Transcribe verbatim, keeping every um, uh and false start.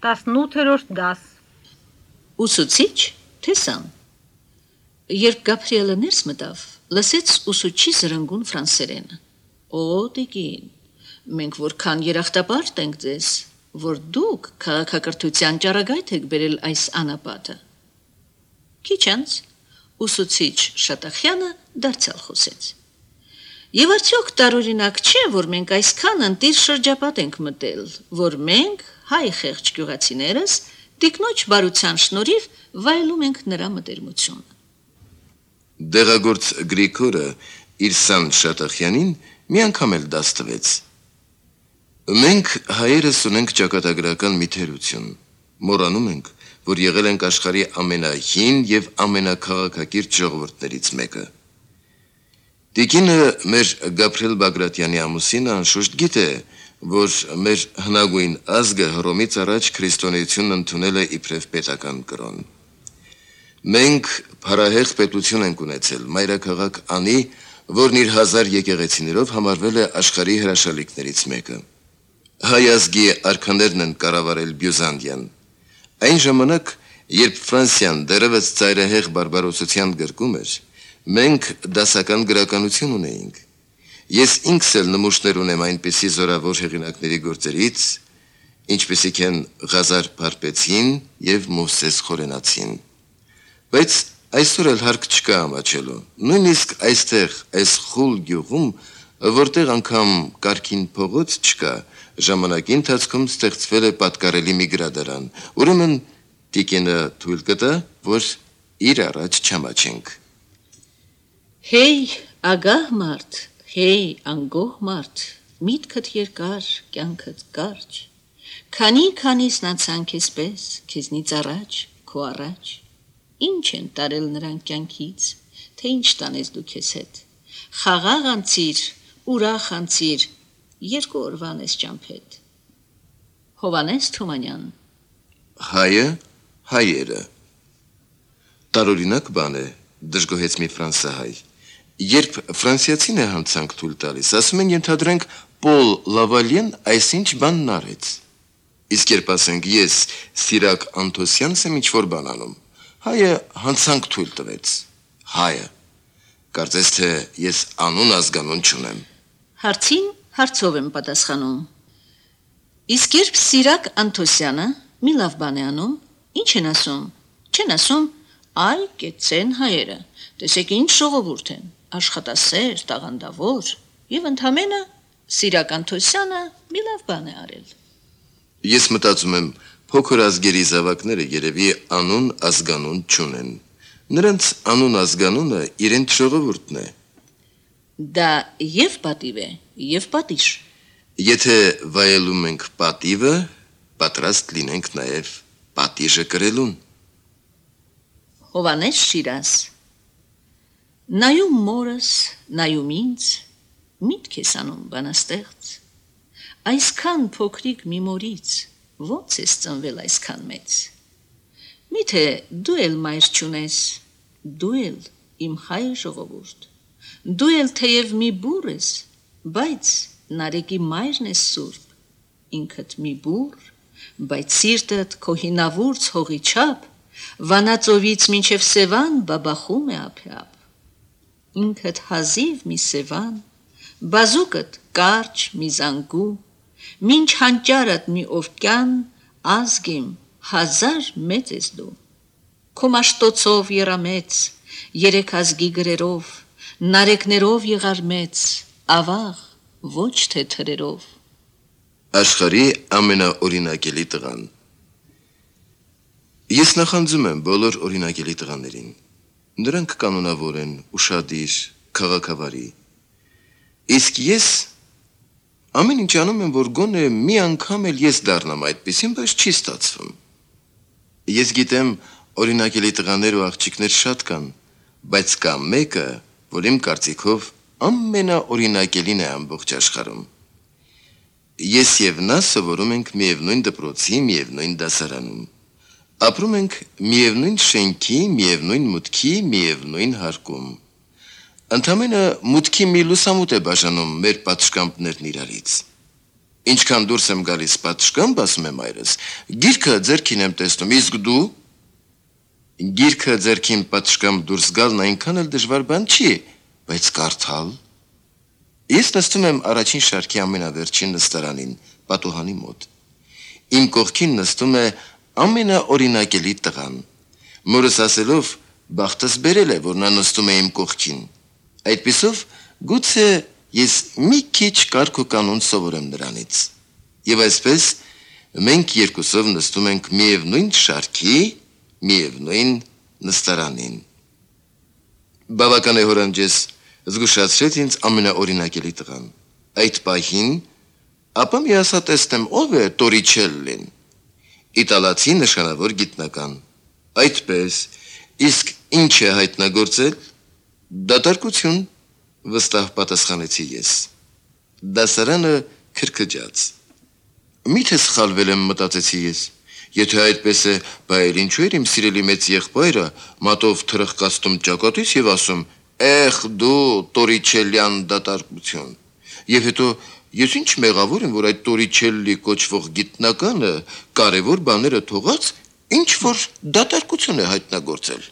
տասնութերորդ դաս։ Ուսուցիչ, թե սան։ Երբ Գաբրիելը ներս մտավ, լսեց ուսուցչի զրնգուն ֆրանսերենը։ Օ, տիկին, մենք որքան երախտապարտ ենք ձեզ, որ դուք քաղաքակրթության ճառագայթ եք բերել այս անապատը։ Քիչ անց ուսուցիչ Շատախյանը դարձյալ խոսեց։ Եվ արդյոք տարօրինակ չէ, որ մենք այսքան ընտիր շրջապատ ենք մտել, որ մենք, հայ խեղճ գյուղացիներս, տիկնոջ բարության շնորհիվ վայելում ենք նրա մտերմությունը։ Դեղագործ Գրիգորը իր սան Շատախյանին մի անգամ էլ դաս տվեց։ Մենք հայերս ունենք ճակատագրական մի թերություն, մոռանում ենք, որ եղել ենք աշխարհի ամենահին եւ ամենակաղաքակիրթ ժողովուրդներից մեկը։ Տիկինը մեր Գաբրիել Բագրատյանի ամուսինը անշուշտ գիտե, որ մեր հնագույն ազգը Հռոմից առաջ քրիստոնեությունն ընդունել է իբրև պետական կրոն։ Մենք փարահեղ պետություն ենք ունեցել, մայրաքաղաք Անի, որն իր հազար եկեղեցիներով համարվել է աշխարհի հրաշալիքներից մեկը։ Հայ ազգի արքաներն են կառավարել Բյուզանդիան։ Այն ժամանակ, երբ Ֆրանսիան դեռևս ծայրահեղ բարբարոսության գրկում էր, մենք դասական գրականություն ունեինք։ Ես ինքս էլ նմուշներ ունեմ այնպիսի զորավոր հեղինակների գործերից, ինչպիսիք են Ղազար Փարպեցին եւ Մովսես Խորենացին։ Բայց այսօր էլ հարկ չկա ամաչելու։ Նույնիսկ այստեղ, այս խուլ գյուղում, որտեղ անգամ կարգին փողոց չկա, ժամանակի ընթացքում ստեղծվել է պատկառելի մի գրադարան։ Ուրեմն տիկինը թույլ կտա, որ իր առաջ չամաչենք։ Հեյ, ագահ մարդ, հեյ, անգոհ մարդ, միտքդ երկար, կյանքդ կարճ, քանի-քանիս նացան քեզպես, քեզնից առաջ, քո առաջ, ինչ են տարել նրանք կյանքից, թե ինչ տանես դու քեզ հետ, խաղաղ անցիր, ուրախ անցիր, երկու օրվան ես ճամփետ։ Հովանես Թումանյան։ Հայը, հայերը։ Տարօրինակ բան է, դժգոհեց մի ֆրանսահայ։ Երբ ֆրանսիացին է հանցանք թույլ տալիս, ասում են ենթադրենք Պոլ Լավալյեն այսինչ բանն արեց։ Իսկ երբ ասենք ես Սիրակ Անտոսյանս եմ ինչ-որ բան անում, հայը հանցանք թույլ տվեց։ Հայը։ Կարծես թե ես անուն ազգանուն չունեմ։ Հարցին հարցով եմ պատասխանում։ Իսկ երբ Սիրակ Անտոսյանը մի լավ բան է անում, ինչ են ասում։ Չեն ասում, այ կեցեն հայերը, տեսեք ինչ ժողովուրդ են, աշխատասեր, տաղանդավոր, եւ ընդհանրապես Սիրակ Անտոսյանը մի լավ բան է արել։ Ես մտածում եմ, փոքր ազգերի զավակները երևի անուն ազգանուն չունեն։ Նրանց անուն ազգանունը իրենց ժողովուրդն է։ Դա եւ պատիվ է, եւ պատիժ։ Եթե վայելում ենք պատիվը, պատրաստ լինենք նաեւ պատիժը կրելուն։ Հովանես Շիրազ։ Նայում մորս, նայում ինձ, միտք ես անում բանաստեղծ, այսքան փոքրիկ մի մորից, ոնց ես ծնվել այսքան մեծ, միթե դու էլ մայր չունես, դու էլ իմ հայ ժողովուրդ, դու էլ թեև մի բուռ ես, բայց նարեկի մայրն ես սուրբ, ինքդ մի բուռ, բայց սիրտդ քո հինավուրց հողի չափ, Վանածովից մինչև Սևան բաբախում է ափյապ, ինքդ հազիվ մի Սևան, բազուկդ կարճ մի զանգու, մինչ հանճարդ մի օվկյան, ազգիմ հազար մեծ ես դու, քո մաշտոցով եռամեց, երեք ազգի գրերով, նարեկներով եղար մեծ, ավաղ, ոչ թե թրերով։ Աշխարհի ամենաօրինակելի տղան։ Ես նախանձում եմ բոլոր օրինակելի տղաներին։ Նրանք կանոնավոր են, ուշադիր, քաղաքավարի։ Իսկ ես ամեն ինչ անում եմ, որ գոնե մի անգամ էլ ես դառնամ այդպեսին, բայց չի ստացվում։ Ես գիտեմ, օրինակելի տղաներ ու աղջիկներ շատ կան, բայց կա մեկը, որ իմ կարծիքով ամենաօրինակելին է ամբողջ աշխարհում։ Ես եւ նա սովորում ենք միևնույն դպրոցի, միևնույն դասարանում։ Ապրում ենք միևնույն շենքի, միևնույն մուտքի, միևնույն հարկում։ Ընդամենը մուտքի մի լուսամուտ է բաժանում մեր պատշգամբներն իրարից։ Ինչքան դուրս եմ գալիս պատշգամբ, ասում է մայրս, գիրքը ձեռքին եմ տեսնում, իսկ դու գիրքը ձեռքին պատշգամբ դուրս գալն այնքան էլ դժվար բան չի, բայց կարդալ։ Ես նստում եմ առաջին շարքի ամենավերջին նստարանին, պատուհանի մոտ։ Իմ կողքին նստում է ամենաօրինակելի տղան։ Մորս ասելով, բախտս բերել է, որ նա նստում է իմ կողքին։ Այդպիսով գուցե ես մի քիչ կարգ ու կանոն սովորեմ նրանից։ Եվ այսպես մենք երկուսով նստում ենք միևնույն շարքի, միևնույն նստարանին։ Բավական է հորանջես, զգուշացրեց ինձ ամենաօրինակելի տղան։ Այդ պահին, ապա մի ասա տեսնեմ ով է Տորիչելլին։ Իտալացի նշանավոր գիտնական։ Այդպես, իսկ ինչ է հայտնագործել։ Դատարկություն, վստահ պատասխանեցի ես։ Դասարանը քրքջաց։ Միթե սխալվել եմ, մտածեցի ես։ Եթե այդպես է, բայց ինչու էր իմ սիրելի մեծ եղբայրը մատով թրխկացնում ճակատից եւ ասում. «Էխ դու Տորիչելյան դատարկություն»։ Եվ հետո ես ինչ մեղավոր եմ, որ այդ Տորիչելլի կոչվող գիտնականը կարևոր բաները թողած ինչ որ դատարկություն է հայտնագործել։